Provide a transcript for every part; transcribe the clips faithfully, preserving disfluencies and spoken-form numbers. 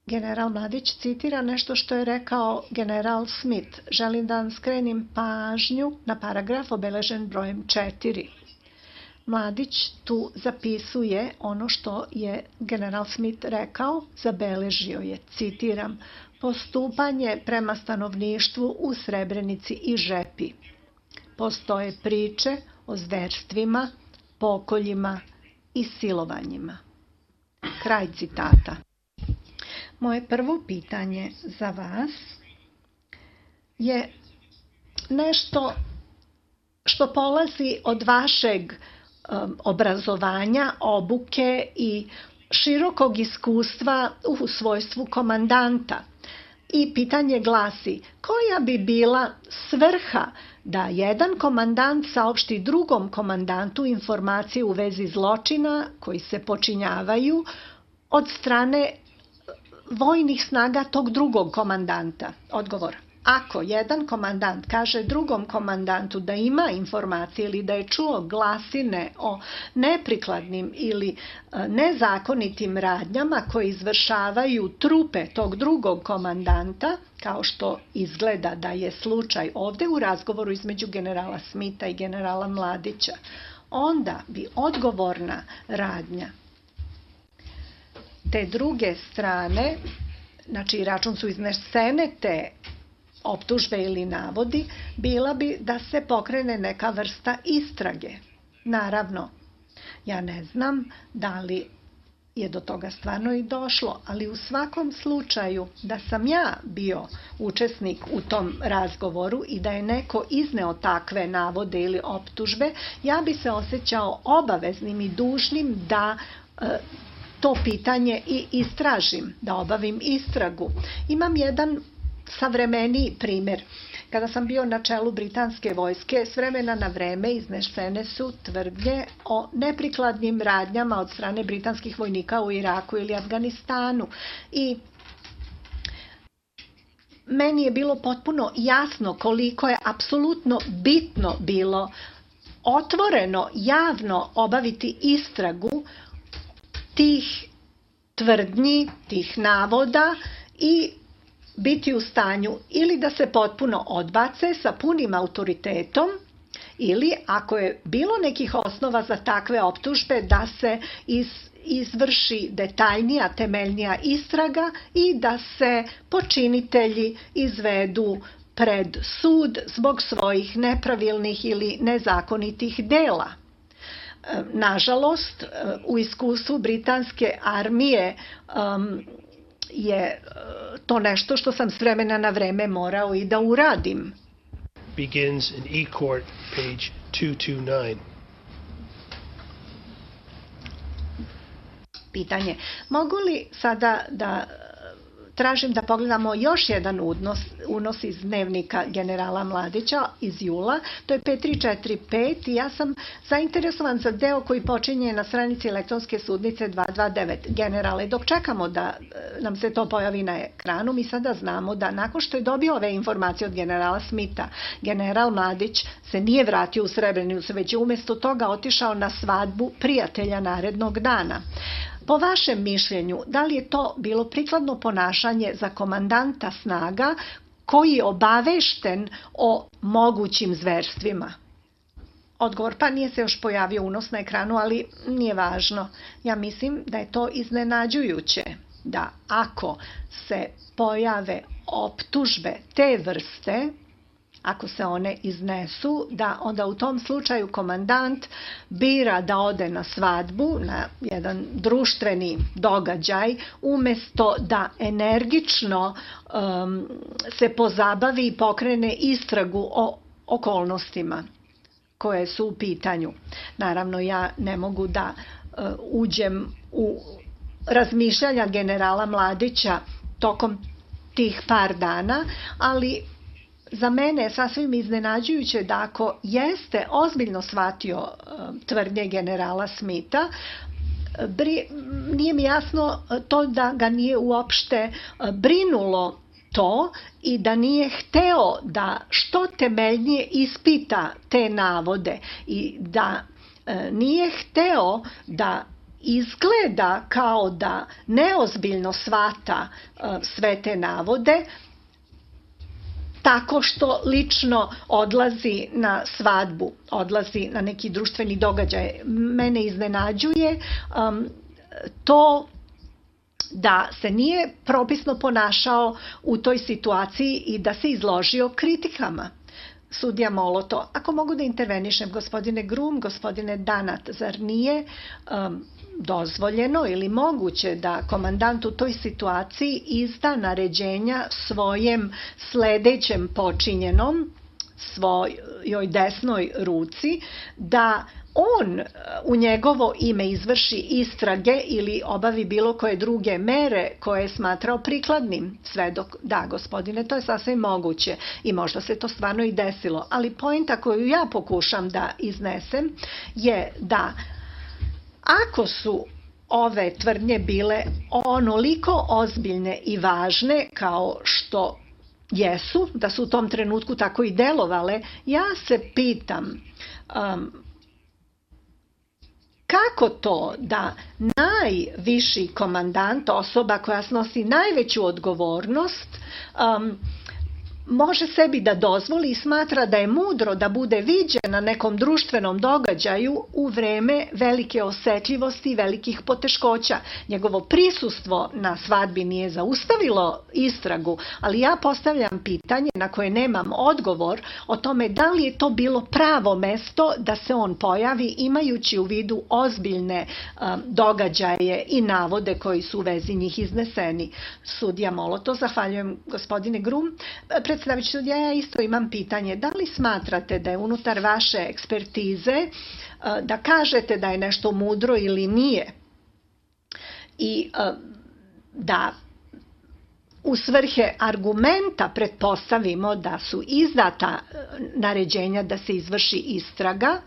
general Mladić citira nešto što je rekao general Smith. Želim da vam skrenim pažnju na paragraf obeležen brojem četiri. Mladić tu zapisuje ono što je general Smith rekao, zabeležio je, citiram, postupanje prema stanovništvu u Srebrenici i Žepi. Postoje priče o zverstvima, pokoljima i silovanjima. Kraj citata. Moje prvo pitanje za vas je nešto što polazi od vašeg um, obrazovanja, obuke i širokog iskustva u svojstvu komandanta. I pitanje glasi, koja bi bila svrha da jedan komandant saopšti drugom komandantu informacije u vezi zločina koji se počinjavaju od strane vojnih snaga tog drugog komandanta? Odgovor. Ako jedan komandant kaže drugom komandantu da ima informacije ili da je čuo glasine o neprikladnim ili nezakonitim radnjama koje izvršavaju trupe tog drugog komandanta, kao što izgleda da je slučaj ovde u razgovoru između generala Smitha i generala Mladića, onda bi odgovorna radnja te druge strane, znači račun su iznesene te optužbe ili navodi, bila bi da se pokrene neka vrsta istrage. Naravno, ja ne znam da li je do toga stvarno i došlo, ali u svakom slučaju da sam ja bio učesnik u tom razgovoru i da je neko izneo takve navode ili optužbe, ja bi se osjećao obaveznim i dužnim da e, to pitanje i istražim, da obavim istragu. Imam jedan savremeniji primjer. Kada sam bio na čelu britanske vojske, s vremena na vreme iznesene su tvrdnje o neprikladnim radnjama od strane britanskih vojnika u Iraku ili Afganistanu. I meni je bilo potpuno jasno koliko je apsolutno bitno bilo otvoreno, javno obaviti istragu tih tvrdnji, tih navoda i biti u stanju ili da se potpuno odbace sa punim autoritetom ili, ako je bilo nekih osnova za takve optužbe, da se iz, izvrši detaljnija, temeljnija istraga i da se počinitelji izvedu pred sud zbog svojih nepravilnih ili nezakonitih dela. Nažalost, u iskustvu britanske armije um, je to nešto što sam s vremena na vreme morao i da uradim. Begins in E-Court, page two twenty-nine. Pitanje. Mogu li sada da tražim da pogledamo još jedan unos, unos iz dnevnika generala Mladića iz jula, to je pet tri četiri pet i ja sam zainteresovan za deo koji počinje na stranici elektronske sudnice dva dva devet. Generale, dok čekamo da nam se to pojavi na ekranu, mi sada znamo da nakon što je dobio ove informacije od generala Smitha, general Mladić se nije vratio u Srebrenicu, već je umjesto toga otišao na svadbu prijatelja narednog dana. Po vašem mišljenju, da li je to bilo prikladno ponašanje za komandanta snaga koji je obavešten o mogućim zverstvima? Odgovor, pa nije se još pojavio unos na ekranu, ali nije važno. Ja mislim da je to iznenađujuće, da ako se pojave optužbe te vrste, ako se one iznesu, da onda u tom slučaju komandant bira da ode na svadbu, na jedan društveni događaj, umjesto da energično um, se pozabavi i pokrene istragu o okolnostima koje su u pitanju. Naravno, ja ne mogu da uh, uđem u razmišljanja generala Mladića tokom tih par dana, ali za mene je sasvim iznenađujuće da ako jeste ozbiljno shvatio tvrdnje generala Smitha, nije mi jasno to da ga nije uopšte brinulo to i da nije hteo da što temeljnije ispita te navode i da nije hteo da izgleda kao da neozbiljno shvata sve te navode, tako što lično odlazi na svadbu, odlazi na neki društveni događaj. Mene iznenađuje um, to da se nije propisno ponašao u toj situaciji i da se izložio kritikama. Sudija Moloto, ako mogu da intervenišem, gospodine Grum, gospodine Danat, zar nije um, dozvoljeno ili moguće da komandant u toj situaciji izda naređenja svojem sledećem počinjenom, svojoj desnoj ruci, da on u njegovo ime izvrši istrage ili obavi bilo koje druge mere koje je smatrao prikladnim? Svedok, da, gospodine, to je sasvim moguće i možda se to stvarno i desilo, ali poenta koju ja pokušam da iznesem je da ako su ove tvrdnje bile onoliko ozbiljne i važne kao što jesu, da su u tom trenutku tako i delovale, ja se pitam um, kako to da najviši komandant, osoba koja snosi najveću odgovornost, um, može sebi da dozvoli i smatra da je mudro da bude viđen na nekom društvenom događaju u vreme velike osetljivosti i velikih poteškoća. Njegovo prisustvo na svadbi nije zaustavilo istragu, ali ja postavljam pitanje na koje nemam odgovor o tome da li je to bilo pravo mesto da se on pojavi imajući u vidu ozbiljne um, događaje i navode koji su u vezi njih izneseni. Sudija Moloto, zahvaljujem gospodine Grum. Predsedavajući sudija, ja isto imam pitanje. Da li smatrate da je unutar vaše ekspertize da kažete da je nešto mudro ili nije i da u svrhe argumenta pretpostavimo da su izdata naređenja da se izvrši istraga,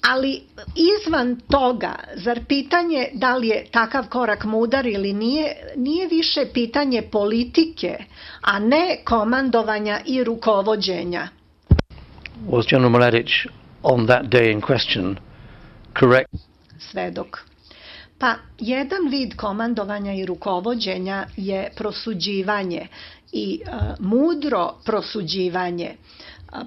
ali izvan toga, zar pitanje da li je takav korak mudar ili nije, nije više pitanje politike, a ne komandovanja i rukovođenja? Was General Mladic on that day in question correct? Svedok. Pa, jedan vid komandovanja i rukovođenja je prosuđivanje i uh, mudro prosuđivanje,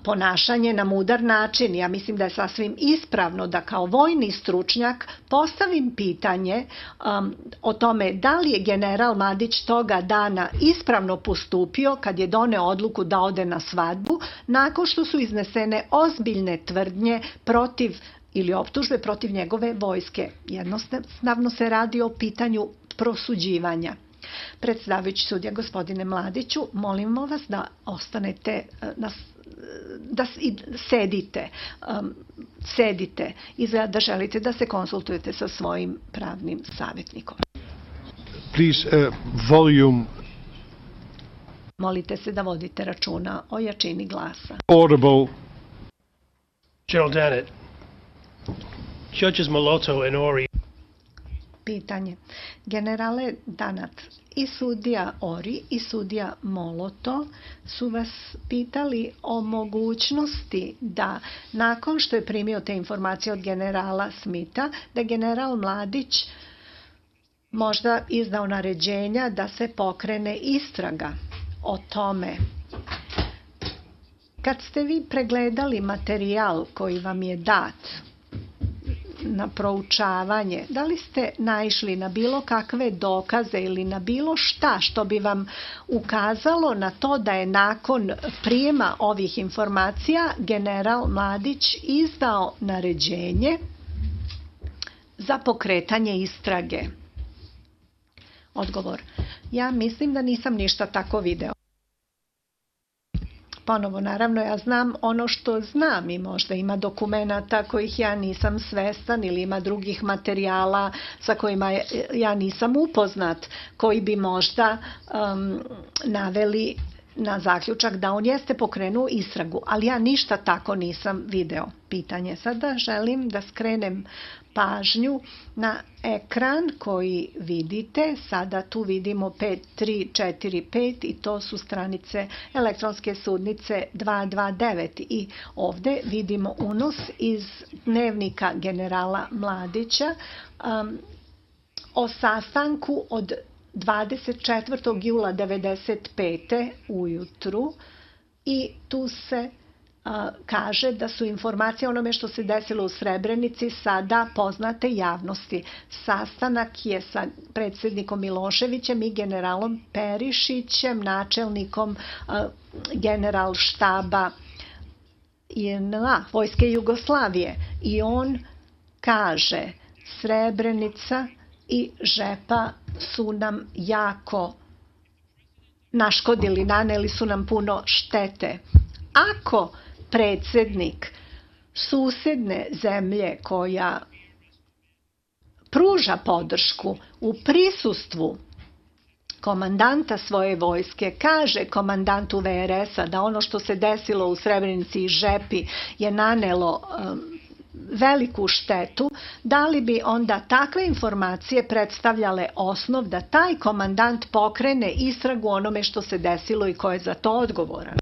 ponašanje na mudar način. Ja mislim da je sasvim ispravno da kao vojni stručnjak postavim pitanje um, o tome da li je general Mladić toga dana ispravno postupio kad je doneo odluku da ode na svadbu nakon što su iznesene ozbiljne tvrdnje protiv ili optužbe protiv njegove vojske. Jednostavno se radi o pitanju prosuđivanja. Predsedavajući sudija, gospodine Mladiću, molimo vas da ostanete na da sedite, um, sedite i da želite da se konsultujete sa svojim pravnim savjetnikom. Please, uh, volume. Molite se da vodite računa o jačini glasa. Audible. General Danat, Judges Moloto and Ori. Pitanje. Generale Danat, i sudija Ori i sudija Moloto su vas pitali o mogućnosti da nakon što je primio te informacije od generala Smitha, da general Mladić možda izdao naređenja da se pokrene istraga o tome. Kad ste vi pregledali materijal koji vam je dat na proučavanje, da li ste naišli na bilo kakve dokaze ili na bilo šta što bi vam ukazalo na to da je nakon prijema ovih informacija general Mladić izdao naređenje za pokretanje istrage? Odgovor. Ja mislim da nisam ništa tako video. Ponovo, naravno, ja znam ono što znam i možda ima dokumenata kojih ja nisam svestan ili ima drugih materijala sa kojima ja nisam upoznat, koji bi možda um, naveli na zaključak da on jeste pokrenuo istragu, ali ja ništa tako nisam video. Pitanje. Sada želim da skrenem pažnju na ekran koji vidite. Sada tu vidimo pet tri četiri pet i to su stranice elektronske sudnice dvesta dvadeset devet i ovde vidimo unos iz dnevnika generala Mladića um, o sastanku od dvadeset četvrtog jula devedeset pete ujutru i tu se a, kaže da su informacije o onome što se desilo u Srebrenici sada poznate javnosti. Sastanak je sa predsjednikom Miloševićem i generalom Perišićem, načelnikom a, general štaba J N A, Vojske Jugoslavije, i on kaže Srebrenica i Žepa su nam jako naškodili, naneli su nam puno štete. Ako predsjednik susedne zemlje koja pruža podršku u prisustvu komandanta svoje vojske kaže komandantu V R S-a da ono što se desilo u Srebrenici i Žepi je nanelo um, veliku štetu, da li bi onda takve informacije predstavljale osnov da taj komandant pokrene istragu onome što se desilo i ko je za to odgovoran?